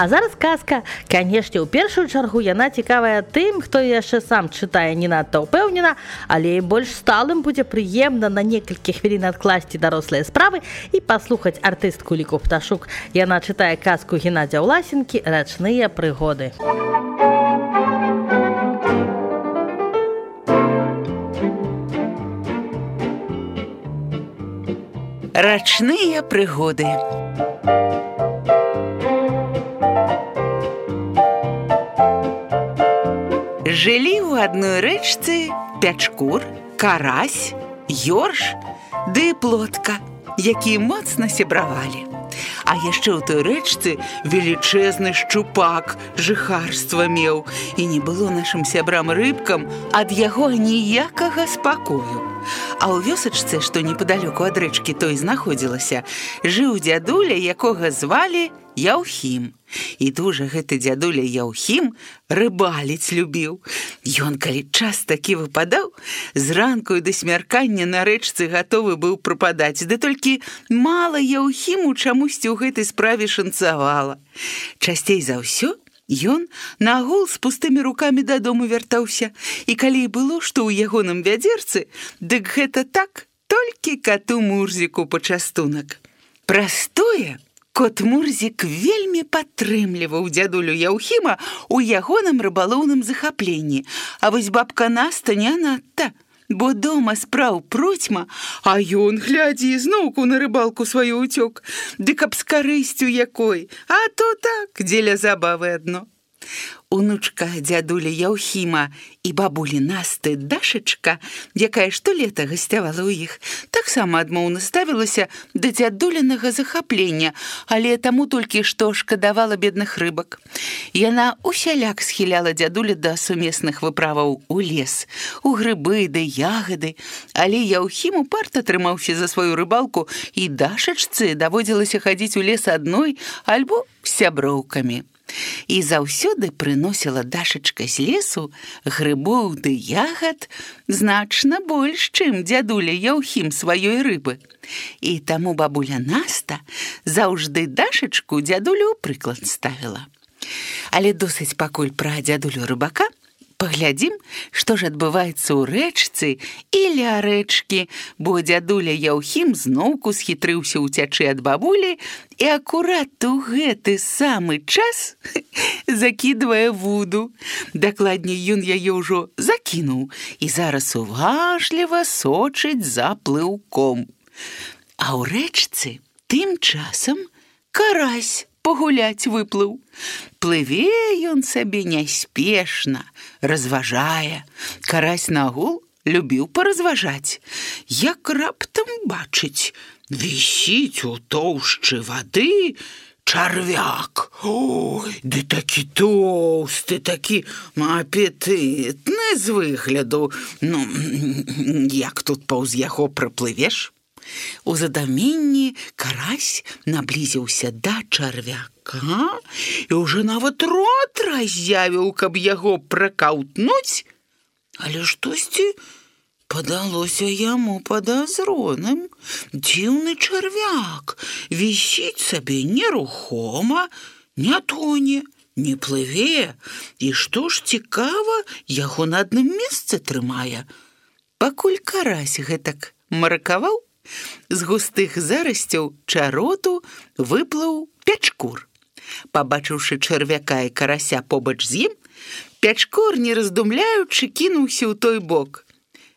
А зараз казка. Канешне, у першую чаргу яна цікавая тым, хто яшчэ сам чытае не надта ўпэўнена, але і больш сталым будзе прыемна на некалькі хвілін адкласці дарослыя справы і паслухаць артыстку Ліку Пташук. Яна чытае казку Геннадзя Ўласенкі «Рачныя прыгоды». Рачныя прыгоды. Жылі ў адной рэчцы Пячкур, Карась, Ёрш ды Плотка, якія моцна сябравалі. А яшчэ ў той рэчцы велічэзны шчупак жыхарства меў, і не было нашым сябрам-рыбкам ад яго ніякага спакою. А ў вёсачцы, што непадалёку ад рэчкі той знаходзілася, жыў дзядуля, якога звалі Яўхім. І дужа гэты дзядуля Яўхім рыбаліць любіў. Ён, калі час такі выпадаў, зранку і да смяркання на рэчцы гатовы быў прападаць, ды толькі мала Яўхіму чамусьці ў гэтай справе шанцавала. Часцей за ўсё ён на агул з пустымі рукамі дадому вяртаўся, і калі і было, што ў ягоным вядзерцы, дык гэта так, толькі кату Мурзіку пачастунак. Праз тое кот Мурзік вельмі падтрымліваў дзядулю Яўхіма ў ягоным рыбалоўным захапленні, а вось бабка Наста не надта, бо дома спраў процьма, а ён, глядзі, зноўку на рыбалку сваю ўцёк, дык аб з карысцю якой, а то так, дзеля забавы адно. Унучка дзядулі Яўхіма і бабулі Насты Дашачка, якая штолета гасцявала ў іх, таксама адмоўна ставілася да дзядулінага захаплення, але таму толькі што шкадавала бедных рыбак. Яна усяляк схіляла дзядуля да сумесных выправаў у лес, у грыбы ды ягады, але Яўхім упарта трымаўся за сваю рыбалку, і Дашачцы даводзілася хадзіць у лес адной альбо з сяброўкамі. І заўсёды прыносіла Дашачка з лесу грыбоў ды ягад значна больш, чым дзядуля Яўхім сваёй рыбы. І таму бабуля Наста заўжды Дашачку дзядулю ў прыклад ставіла. Але досыць пакуль пра дзядулю рыбака. Паглядзім, што ж адбываецца ў рэчцы і ля рэчкі, бо дзядуля Яўхім зноўку схітрыўся ўцячы ад бабулі і акурат у гэты самы час закідвае вуду. Дакладней, ён яе ўжо закінуў і зараз уважліва сочыць за плыўком. А ў рэчцы тым часам карась пагуляць выплыў. Плыве ён сабе няспешна, разважае. Карась на агул любіў паразважаць. Як раптам бачыць, вісіць у тоўшчы вады чарвяк. Ой, ды такі тоўсты, такі апетытны з выгляду. Ну, як тут паўз яго праплывеш? У задуменні карась наблізіўся да чарвяка і ўжо нават рот разявіў, каб яго пракаўтнуць, але штосьці падалося яму падазроным. Дзіўны чарвяк вісіць сабе нерухома, не тоне, не плыве, і што ж цікава, яго на адным месцы трымае. Пакуль карась гэтак маракаваў, з густых зарасцяў чароту выплыў Пячкур. Пабачыўшы чарвяка і карася побач з ім, Пячкур, не раздумляючы, кінуўся ў той бок.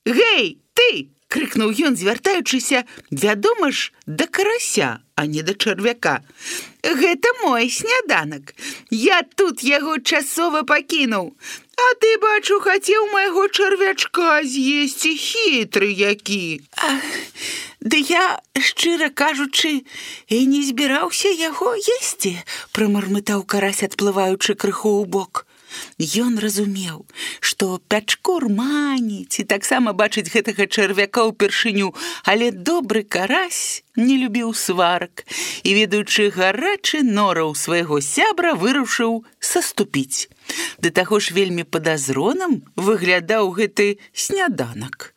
«Гэй, ты!» – крыкнуў ён, звяртаючыся, вядома ж, да карася, а не да чарвяка. «Гэта мой сняданак. Я тут яго часова пакінуў. А ты, бачу, хацеў майго чарвячка з'есці, хітры які». «Ды я, шчыра кажучы, і не збіраўся яго есці», – прамармытаў карась, адплываючы крыху ў бок. Ён разумеў, што Пячкур маніць і таксама бачыць гэтага чарвяка ўпершыню, але добры карась не любіў сварак і, ведаючы гарачы нораў свайго сябра, вырашыў саступіць. Да таго ж вельмі падазроным выглядаў гэты сняданак.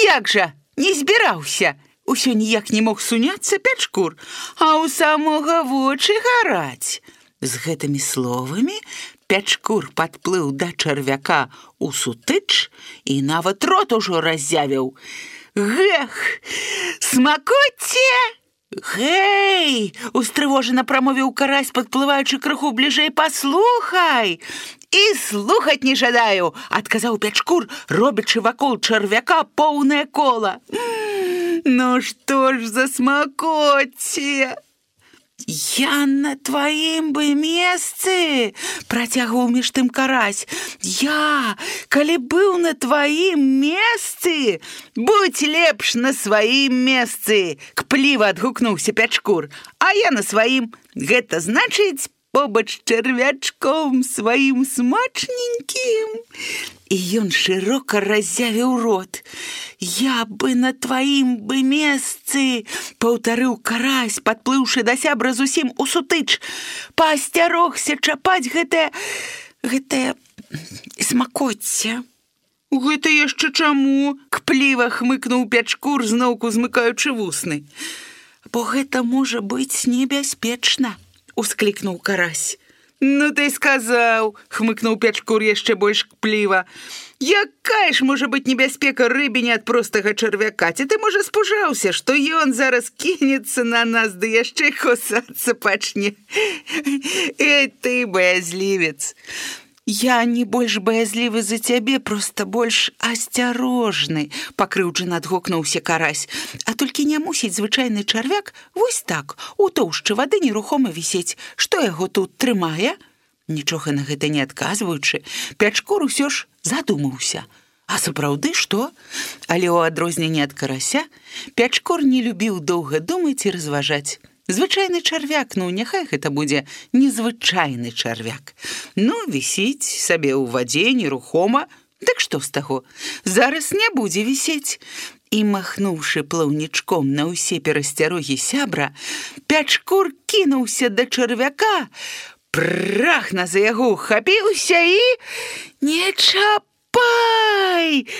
«Як жа, не збіраўся!» Усё ніяк не мог суняцца Пячкур, а ў самога вочы гараць. З гэтымі словамі Пячкур падплыў да чарвяка ў сутыч і нават рот ужо раззявіў. «Гэх! Смакоце!» «Гэй!» – устрывожана прамовіў карась, падплываючы крыху бліжэй. «Паслухай!» «І слухаць не жадаю!» – адказаў Пячкур, робячы вакол чарвяка поўнае кола. «Ну што ж за смакоце!» «Я на тваім бы месцы!» – працягваў між тым карась. «Я, калі быў на тваім месцы, будь лепш на сваім месцы!» – кпліва адгукнуўся Пячкур. «А я на сваім. Гэта значыць побач з чарвячком сваім смачненькім!» І ён шырока раззявіў рот. «Я бы на тваім бы месцы!» – паўтарыў карась, падплыўшы да сябра зусім у сутыч. «Паасцярогся чапаць гэтае смакоце!» «Гэта яшчэ чаму?» – кпліва хмыкнуў Пячкур, зноўку змыкаючы вусны. «Бо гэта можа быць небяспечна!» – усклікнуў карась. «Ну ты сказаў!» – хмыкнуў Пячкур яшчэ больш кпліва. «Якая ж можа быць небяспека рыбіне ад простага чарвяка? Ці ты, можа, спужаўся, што ён зараз кінецца на нас, ды яшчэ кусацца пачне? Эй, ты баязлівец!» «Я не больш баязлівы за цябе, проста больш асцярожны», – пакрыўджана адгукнуўся карась. «А толькі не мусіць звычайны чарвяк вось так, у тоўшчы вады нерухома вісець. Што яго тут трымае?» Нічога на гэта не адказваючы, Пячкур усё ж задумаўся. А сапраўды што? Але ў адрозненне ад карася Пячкур не любіў доўга думаць і разважаць. Звычайны чарвяк, ну, няхай гэта будзе незвычайны чарвяк. Ну, вісіць сабе ў вадзе нерухома, дык што з таго? Зараз не будзе вісець. І, махнуўшы плаўнічком на ўсе перасцярогі сябра, Пячкур кінуўся да чарвяка, прахна за яго ухапіўся і... «Не чапай!»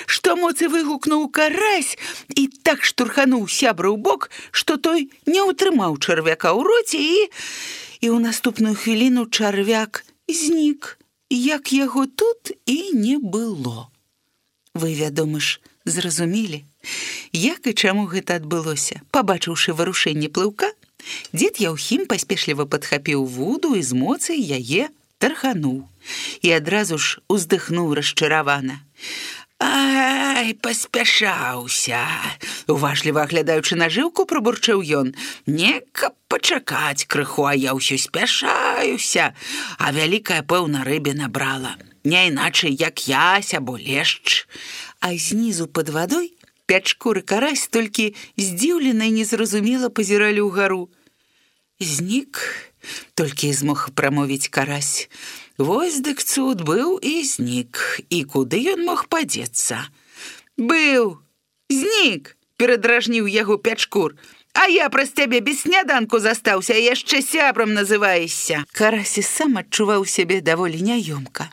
Што моцы выгукнуў карась і так штурхануў сябра ў бок, што той не ўтрымаў чарвяка ў роце і ў наступную хвіліну чарвяк знік, як яго тут і не было. Вы, вядома ж, зразумелі, як і чаму гэта адбылося. Пабачыўшы варушэнне плыўка, дзед Яўхім паспешліва падхапіў вуду і з моцай яе тархануў. І адразу ж уздыхнуў расчаравана. «Ай, паспяшаўся!» Уважліва аглядаючы нажыўку, прабурчэў ён. «Не, каб пачакаць крыху, а я ўсё спяшаюся, а вялікая, пэўна, рыбе набрала. Не іначай, як ясь або лешч». А знізу пад вадой Пячкур і карась толькі здзіўлена і незразумела пазіралі ўгару. «Знік», толькі змог прамовіць карась. «Вось дык цуд быў і знік, і куды ён мог падзецца?» «Быў! Знік!» – перадражніў яго Пячкур. «А я праз цябе без сняданку застаўся, а яшчэ сябрам называешся!» Карась і сам адчуваў сябе даволі няёмка.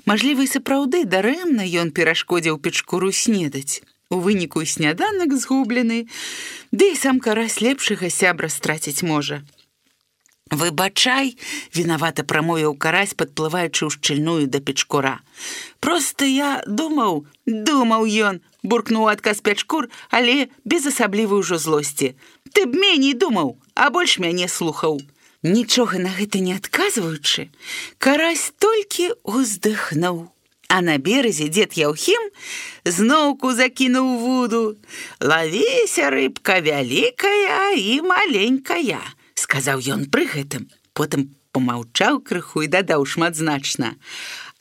Мажліва, і сапраўды дарэмна ён перашкодзіў Пячкуру снедаць. У выніку і сняданак згублены, ды і сам карась лепшага сябра страціць можа. «Выбачай», – вінавата прамовіў карась, падплываючы ў шчыльную да Пячкура. «Проста я думаў ён», – буркнуў адказ Пячкур, але без асаблівай ужо злосці. «Ты б меней думаў, а больш мяне слухаў». Нічога на гэта не адказваючы, карась толькі уздыхнуў. А на березе дзед Яўхім зноўку закінуў вуду. «Лавіся, рыбка вялікая і маленькая», – сказаў ён пры гэтым. Потым помаўчаў крыху і дадаў шматзначна.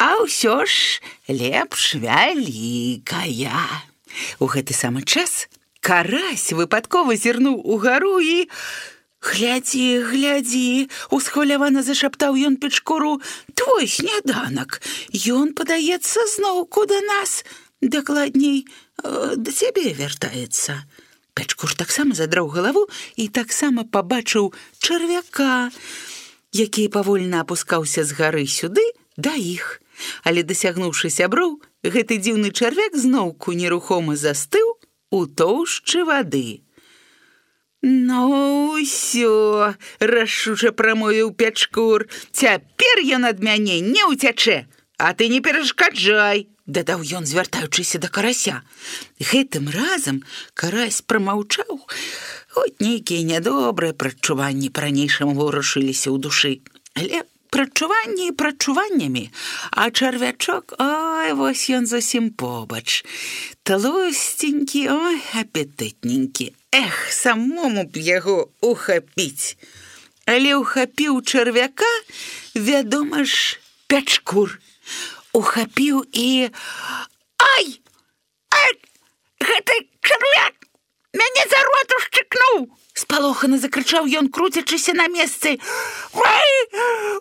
«А ўсё ж лепш вялікая». У гэты самы час карась выпадкова зірнуў угару і... «Глядзі, глядзі!» – усхвалявана зашаптаў ён Пячкуру. «Твой сняданак! Ён, падаецца, зноўку да нас, дакладней, да цябе вяртаецца». Пячкур таксама задраў галаву і таксама пабачыў чарвяка, які павольна апускаўся з гары сюды да іх. Але, дасягнуўшы сяброў, гэты дзіўны чарвяк зноўку нерухома застыў у тоўшчы вады. Ну, ўсё, рашуча прамовіў Пячкур. Цяпер ён ад мяне не ўцячэ, а ты не перашкаджай, дадаў ён, звяртаючыся да карася. Гэтым разам карась прамаўчаў, хоць нейкія нядобрыя прадчуванні па-ранейшаму варушыліся ў душы. Але прадчуванні прадчуваннямі, а чарвячок, ой, вось ён зусім побач. Тлусценькі, ой, апетытненькі. Эх, самому б яго ухапіць. Але ухапіў чарвяка, вядома ж, Пячкур. Ухапіў і... Ай! Ай! Гэты чарвяк мяне за рот ушчыкнуў! Спалохана закрычаў ён, круцячыся на месцы. Ой!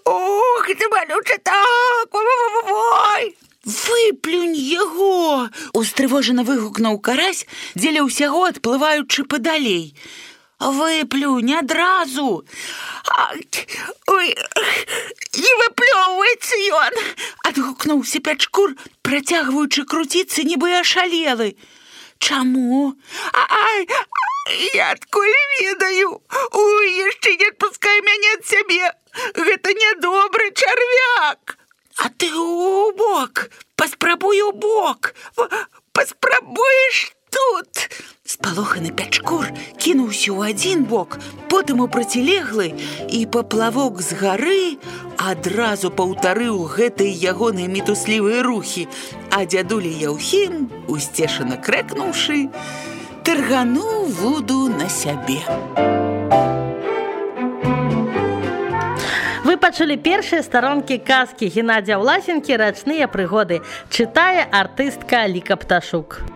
Ох, ты малюча так! Ой! Выплюнь яго! Устрывожана выгукнуў карась, дзеля ўсяго адплываючы падалей. Выплюнь адразу! Ой, не выплёўваецца ён! Адгукнуўся Пячкур, працягваючы круціцца, нібы ашалелы. Чаму? Ай, я адкуль ведаю? Ой, яшчэ не адпускай мяне ад сябе! Гэта нядобры чарвяк! А ты ў бок! Паспрабуй у бок! Паспрабуеш тут! Спалоханы Пячкур кінуўся ў адзін бок, потым у процілеглы, і паплавок з гары адразу паўтарыў гэтыя ягоныя мітуслівыя рухі, а дзядуля Яўхім, усцешана крэкнуўшы, таргануў вуду на сябе. Вы пачулі першыя старонкі казкі Геннадзя Власенкі «Рачныя прыгоды». Чытае артыстка Ліка Пташук.